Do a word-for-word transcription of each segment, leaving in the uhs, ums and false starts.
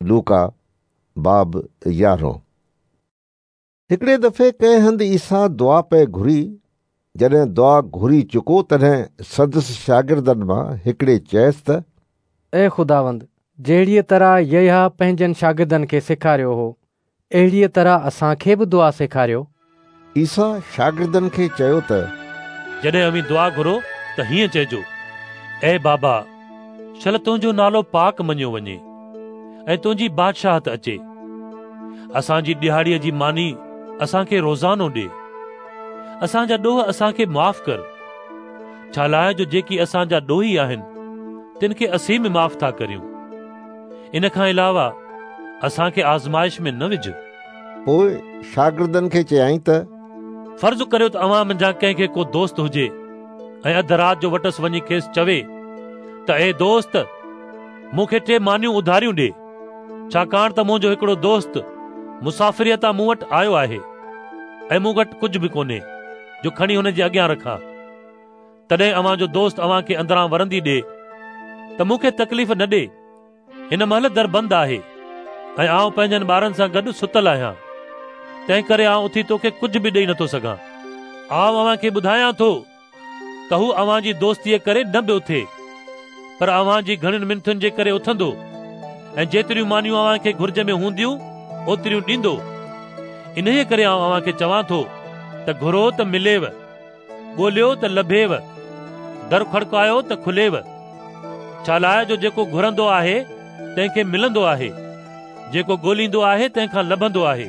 لوڪا باب يارهون. هڪڙي دفعي ڪنهن هنڌ عيسيٰ دعا پئي گهري. جڏهن دعا گهري چڪو تڏهن سندس شاگردن مان هڪڙي چيس ته اي خداوند، جهڙيء طرح يحيٰ پنهنجن شاگردن کي سيکاريو هو، اهڙيء طرح اسان کي به دعا سيکاريو. عيسيٰ شاگردن کي چيو ته جڏهن اوهين دعا گهرو ته هيئن چئجو، اي بابا، شل تنهنجو نالو پاڪ مڃيو وڃي ۽ تنهنجي بادشاهت اچي. اسان جي ڏهاڙيءَ جي ماني اسان کي روزانو ڏي. اسان جا ڏوهه اسان کي معاف ڪر، ڇا لاءِ جو جيڪي اسان جا ڏوهي آهن تن کي اسين به معاف ٿا ڪريون. ان کان علاوه اسان کي آزمائش ۾ نه وجهه. پوءِ شاگردن کي چيائين ته فرض ڪريو ته اوهان منجهان ڪنهن کي ڪو دوست هجي ۽ اڌ رات جو وٽس وڃي کيس چوي ته اي دوست، مون کي ٽي مانيون اڌاريون ڏي، ڇاڪاڻ ته منهنجو هڪڙو دوست مسافريءَ تان مون وٽ آيو آهي ۽ مون وٽ ڪجهه به ڪونهي جو کڻي هن جي اڳيان رکان. تڏهن اوهان جو دوست اوهان کي اندران ورندي ڏي ته مون کي تڪليف نه ڏي، هن مهل در بند آهي ۽ آئون پنهنجن ٻارن سان گڏ ستل آهيان، تنهن ڪري آئون اٿي توکي ڪجهه به ڏيئي نٿو سگهان. آئون اوهان کي ٻڌايان ٿو ته هو اوهان جي دوستيءَ ڪري نه به اٿي، پر اوهان جي گهڻين منٿن جي ڪري اٿندو ۽ جيتريون مانيون اوهان کي گهرج ۾ هونديون اوتريون ڏيندو. انهيءَ ڪري آئون اوهان کي چوان ٿو ته گهرو ته مليو، ڳوليو ته لڀيو، در کڙڪايو ته کليو. ڇا لاءِ جو جيڪو گهرندو آهي تنهن کي ملندو آهي، جيڪو ڳوليندو آهي تنهن کان لڀندو آهي،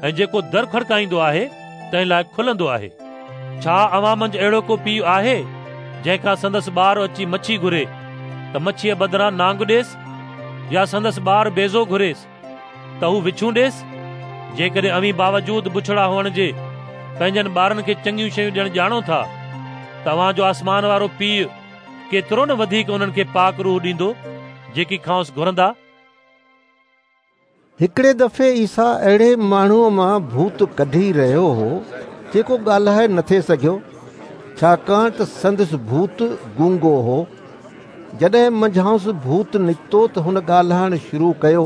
۽ جيڪو در کڙڪائيندو آهي تنهن لاءِ کلندو آهي. ڇا اوهان منجهه اهڙو ڪو پيءُ آهي جنهن کان سندس ٻار اچي مڇي گهري ته مڇيءَ بدران نانگ ڏيس، يا سندس ٻار بيزو گهريس ته هو وڇون ڏيس؟ جيڪڏهن اوهين باوجود بڇڙا هئڻ جي پنهنجن ٻارن کي چڱيون شيون ڏيڻ ڄاڻو ٿا ته اوهان جو آسمان وارو پيءُ ڪيترو نه وڌيڪ انهن کي پاڪ روح ڏيندو جيڪي کانئس گهرندا. هڪڙي دفعي عيسيٰ اهڙي ماڻهوءَ مان ڀوت ڪڍي رهيو هو جيڪو ڳالهائي نٿي سگهيو، ڇاڪاڻ ته سندس ڀوت گونگو هو. جڏهن منجهانئس ڀوت نڪتو ته هن ڳالهائڻ شروع ڪيو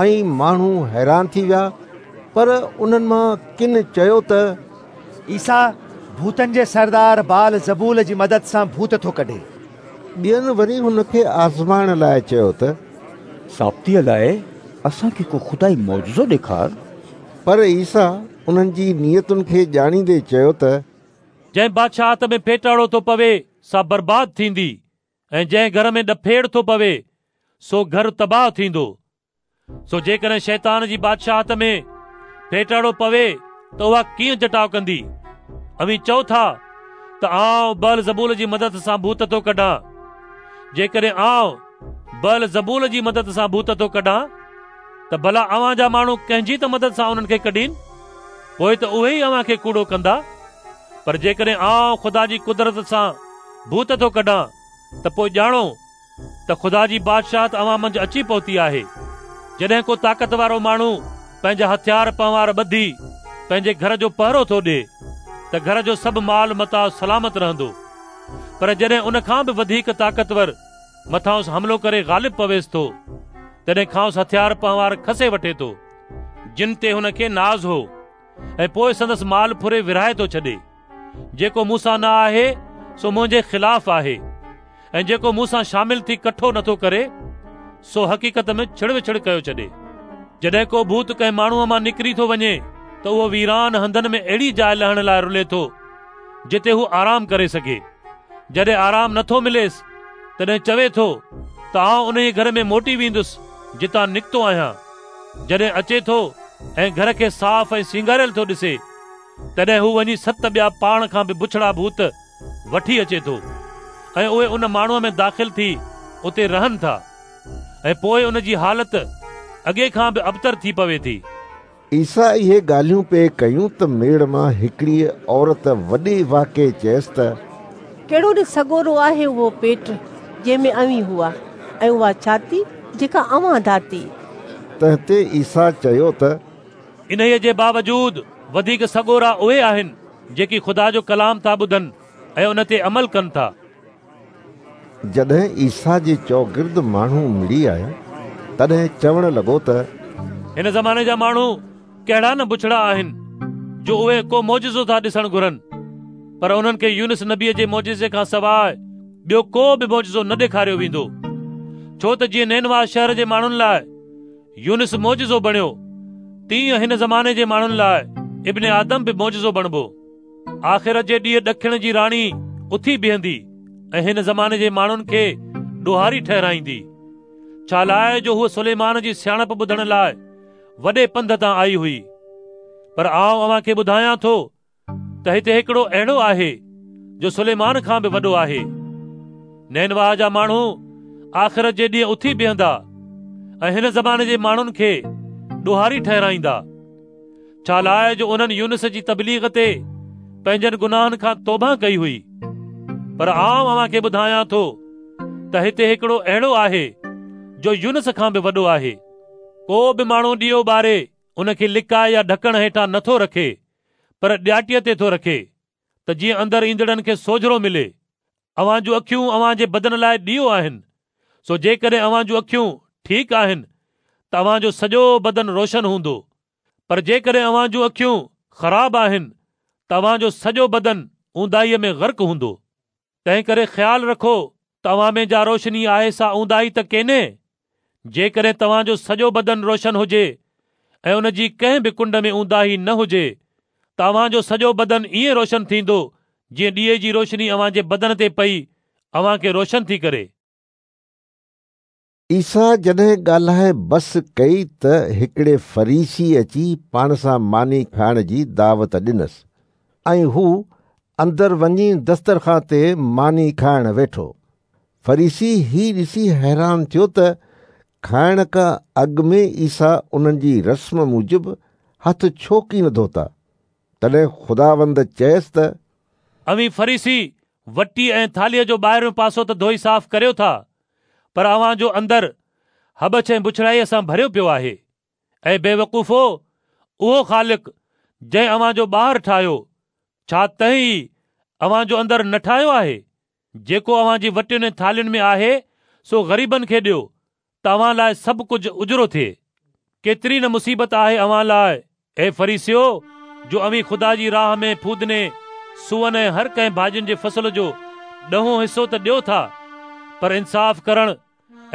۽ ماڻهو حيران ٿي ويا. پر انهن مان ڪن چيو ته عيسيٰ ڀوتن جي سردار بال زبول جي مدد سان ڀوت ٿو ڪڍي. ٻين وري هن کي آزمائڻ لاءِ چيو ته ثابتيءَ لاءِ اسان کي ڪو خدائي معجزو ڏيکار. پر عيسيٰ انهن جي نيتن کي ڄاڻيندي چيو ته جنهن بادشاهت ۾ ڦيٽاڙو ٿو پوي سا برباد ٿيندي، ۽ جنهن گهر ۾ ڏڦيڙ ٿو پوي سو گهر تباهه ٿيندو. سو جيڪڏهن شيطان جي بادشاهت ۾ ڦيٽاڙو پوي ته اها ڪيئن جٽاءُ ڪندي؟ اوهين چئو ٿا ته آئون بال زبول جي مدد سان ڀوت ٿو ڪڍان. جيڪڏهن آئون بال زبول جي مدد سان ڀوت ٿو ڪڍان ته ڀلا اوهان جا ماڻهو ڪنهن جي ته مدد سان انهن کي ڪڍين؟ پوءِ ته اهي ئي اوهان کي ڪوڙو ڪندا. پر جيڪڏهن آئون خدا جي قدرت سان ڀوت ٿو ڪڍان ته پوءِ ڄاڻو ته خدا جي بادشاهت اوهان منجهه اچي پهتي آهي. جڏهن ڪو طاقت وارو ماڻهو پنهنجا هٿيار پنهوار ٻڌي پنهنجي گهر جو پهرو ٿو ڏئي ته گهر جو سڀ مال متاع سلامت رهندو. پر جڏهن ان کان به وڌيڪ طاقتور مٿانئس حملو ڪري غالب پويس ٿو، تڏهن کانئس هٿيار پنهوار کسي وٺي ٿو جن تي هن کي ناز هو، ۽ پوءِ سندس مال ڦري ورهائي ٿو ڇڏي. جيڪو مون سان نه آهي سو منهنجي خلاف آهي، ۽ جيڪو مون سان شامل ٿي ڪٺو نٿو ڪري سو حقيقت ۾ ڇڙ وڇڙ ڪيو ڇڏي. جڏهن ڪو ڀوت ڪنهن ماڻهوءَ مان نڪري ٿو وڃي ته اهو ويران هنڌن ۾ اهڙي جاءِ لهڻ لاءِ رلي ٿو جتي هو آرام ڪري سگهي. جڏهن آرام نٿو مليس تڏهن چوي ٿو ته آئون انهيءَ گهر ۾ موٽي ويندس جتان نڪتو آهيان. جڏهن اچي ٿو ۽ گهر کي صاف ۽ سينگاريل ٿو ڏسي، تڏهن هو وڃي ست ٻيا پاڻ کان به بڇڙا ڀوت وٺي اچي ٿو ۽ اهي ان ماڻهوءَ ۾ داخل ٿي اتي رهن ٿا، ۽ پوءِ ان جي حالت اڳي کان به ابتر ٿي پوي ٿي. عيسيٰ اهي ڳالهيون پئي ڪيون ته ميڙ مان هڪڙي عورت وڏي واڪي چيس ته ڪهڙو نه سڳورو آهي اهو پيٽ جنهن ۾ اوهين هئا، ۽ اها ڇاتي جيڪا اوهان ڌاتي. تنهن تي عيسيٰ چيو ته انهيءَ جي باوجود وڌيڪ سڳورا اهي آهن جيڪي خدا جو ڪلام ٿا ٻڌن ۽ ان تي عمل ڪن ٿا. جڏهن عيسيٰ جي چوگرد ماڻهو مڙي آيا تڏهن چوڻ لڳو ته هن زماني جا ماڻهو ڪهڙا نه بڇڙا آهن جو اهي ڪو معجزو ٿا ڏسڻ گهرن، پر انهن کي يونس نبيءَ جي معجزي کان سواءِ ٻيو ڪو به معجزو نه ڏيکاريو ويندو. ڇو ته جيئن نينوا شهر جي ماڻهن لاءِ يونس معجزو بڻيو، تيئن هن زماني جي ماڻهن لاءِ ابن آدم به معجزو بڻبو. آخرت جي ڏينهن ڏکڻ جي راڻي اٿي بيهندي ۽ هن زماني جي ماڻهن کي ڏوهاري ٺهرائيندي، ڇا لاءِ جو هوءَ سليمان جي سياڻپ ٻڌڻ لاءِ وڏي پنڌ تان آئي هئي. پر آئون اوهان کي ٻڌايان ٿو ته هتي هڪڙو اهڙو آهي جو سليمان کان به وڏو آهي. نينوا جا ماڻهو آخرت جي ڏينهن اٿي بيهندا ۽ هن زماني جي ماڻهن کي ڏوهاري ٺهرائيندا، ڇا لاءِ جو انهن يونس جي تبليغ تي پنهنجن گناهن کان توبه ڪئي هئي. پر آئون اوهان کي ٻڌايان ٿو ته هتي هڪڙو اهڙو آهي جو يونس کان به وڏو آهي. ڪو به ماڻهو ڏيئو ٻاري ان کي لڪائي يا ڍڪڻ هيٺان نٿو رکي، پر ڏياٽيءَ تي ٿو رکي ته جيئن اندر ايندڙن کي سوجهرو ملي. اوهان جون اکيون اوهان جي بدن لاءِ ڏيئو آهن، سو جيڪڏهن اوهان جون اکيون ٺيڪ آهن ته اوهان جو سڄو بدن روشن هوندو، پر جيڪڏهن اوهان جون اکيون خراب آهن ته اوهان جو سڄو بدن اونداهيءَ ۾ غرق هوندو. تنهن ڪري خيال رکو ته اوهان ۾ جا روشني آهي سا اونداهي ته ڪينهي. جيڪڏهن توهان جو سڄو بدن روشن هجي ۽ ان جي ڪنهن به ڪنڊ ۾ اونداهي نه هجي ته اوهان جو سڄو بدن ائين روشن ٿيندو جيئن ڏيئي جي روشني اوهان جي بدن تي پئي اوهان کي روشن ٿي ڪري. عيسيٰ جڏهن ڳالهائي بس ڪئي ته هڪڙي فريسي اچي پاڻ سان ماني کائڻ جي دعوت ڏنس ۽ هو اندر وڃي دسترخوان تي ماني کائڻ ويٺو. فريسي هي ڏسي حيران ٿيو ته کائڻ کان اڳ ۾ عيسيٰ انهن جي رسم موجب هٿ ڇو ڪين ڌوتا. تڏهن خداوند چيس ته اوهين فريسي وٽي ۽ ٿالهيءَ جو ٻاهريون پاسو ته ڌوئي صاف ڪريو ٿا، پر اوهان جو اندر هٻڇ ۽ بڇڙائيءَ سان ڀريو پيو آهي. ۽ بيوقوفو، اهو خالق جنهن اوهان جو ٻاهر ٺاهيو، ڇا تنهن ئي اوهان جو اندر نه ٺاهيو آهي؟ جيڪو اوهان جي وٽين ۽ ٿالهين ۾ آهي سو غريبن کي ڏيو ته اوهان لاءِ سڀ ڪجهه اجرو ٿئي. ڪيتري نه مصيبت آهي اوهان لاءِ، اي فريسيو، جو اوهين خدا جي راهه ۾ ڦودني، سوئن ۽ هر ڪنهن ڀاڄين جي فصل جو ڏهون حصو ته ڏيو ٿا، پر انصاف ڪرڻ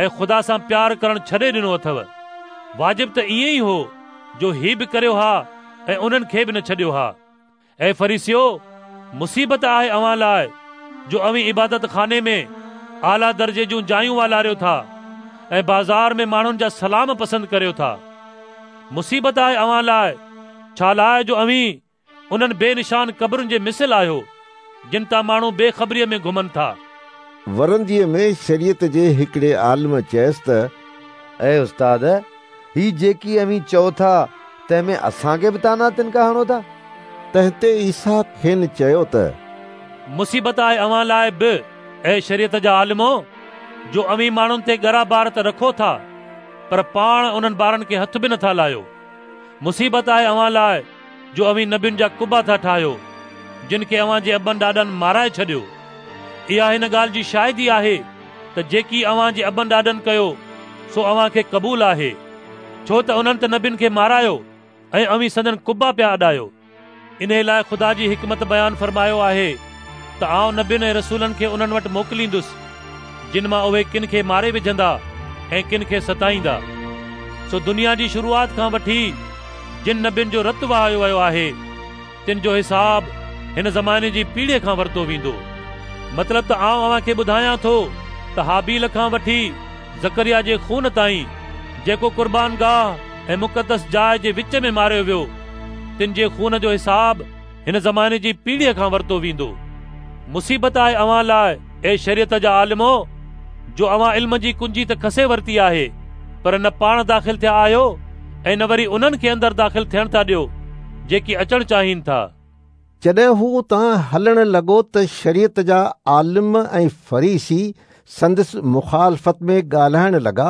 ۽ خدا سان پيار ڪرڻ ڇڏي ڏنو اٿو. واجب ته ائين ئي هو جو هي به ڪريو ها ۽ انهن کي به نه ڇڏيو ها. اي فريسيو، مصيبت آهي اوهان لاءِ جو اوهين عبادت خاني ۾ اعليٰ درجي جون جايون والاريو ٿا ۽ بازار ۾ ماڻهن جا سلام پسند ڪريو ٿا. مصيبت آهي اوهان لاءِ، ڇا لاءِ جو اوهين انهن بي نشان قبرن جي مثل آهيو جن تان ماڻهو بيخبريءَ ۾ گهمن ٿا. ورنديءَ ۾ شريعت جي هڪڙي عالم چيس ته اي استاد، هي جيڪي اوهين چئو ٿا تنهن ۾ اسان کي به طعنا تنڪا هڻو ٿا. تنهن تي عيسيٰ کين چيو ته مصيبت آهي اوهان لاءِ به، اي شريعت جا عالمو، جو اوهين ماڻهن تي ڳرا بار ته رکو ٿا، پر پاڻ انهن بارن کي هٿ به نٿا لاهيو. مصيبت آهي اوهان لاءِ جو اوهين نبين جا قبا ٿا ٺاهيو، جن کي اوهان جي ابن ڏاڏن مارائي ڇڏيو. اها هن ڳالهه جي شاهدي آهي ته جيڪي اوهان جي ابن ڏاڏن ڪيو سو اوهان کي قبول آهي، ڇو ته انهن ته نبين کي مارايو ۽ اوهين سندن قبا پيا اڏايو. ان لاءِ خدا جي حڪمت بيان فرمايو آهي ته آئون نبين ۽ رسولن کي انهن وٽ موڪليندس، جن مان اهي ڪن کي ماري وجهندا ۽ ڪن کي ستائيندا. سو دنيا جي شروعات کان وٺي جن نبين جو رت وهايو ويو آهي تن جو حساب هن زماني جي پيڙهيءَ کان ورتو ويندو. مطلب ته آئون اوهان کي ٻڌايان ٿو ته هابيل کان وٺي زڪريا جي خون تائين جيڪو قربان گاهه ۽ مقدس جاءِ جي وچ ۾ ماريو ويو، تن جي خون جو حساب هن زماني جي پيڙهيءَ کان ورتو ويندو. مصيبت آهي اوهان لاءِ، اي شريعت جا عالمو، جو اوهان علم جي ڪنجي ته کسي ورتي آهي، پر نه پاڻ داخل ٿيا آهيو ۽ نه وري انهن کي اندر داخل ٿيڻ ٿا ڏيو جيڪي اچڻ چاهين ٿا. جڏهن هو اتان هلڻ لڳو ته شريعت جا عالم ۽ فريسي سندس مخالفت ۾ ڳالهائڻ لڳا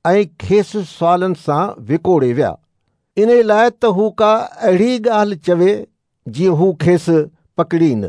۽ کيس سوالن سان وڪوڙي ويا، ان لاءِ ته هو ڪا اهڙي ڳالهه چوي جيئن هو کيس پڪڙين.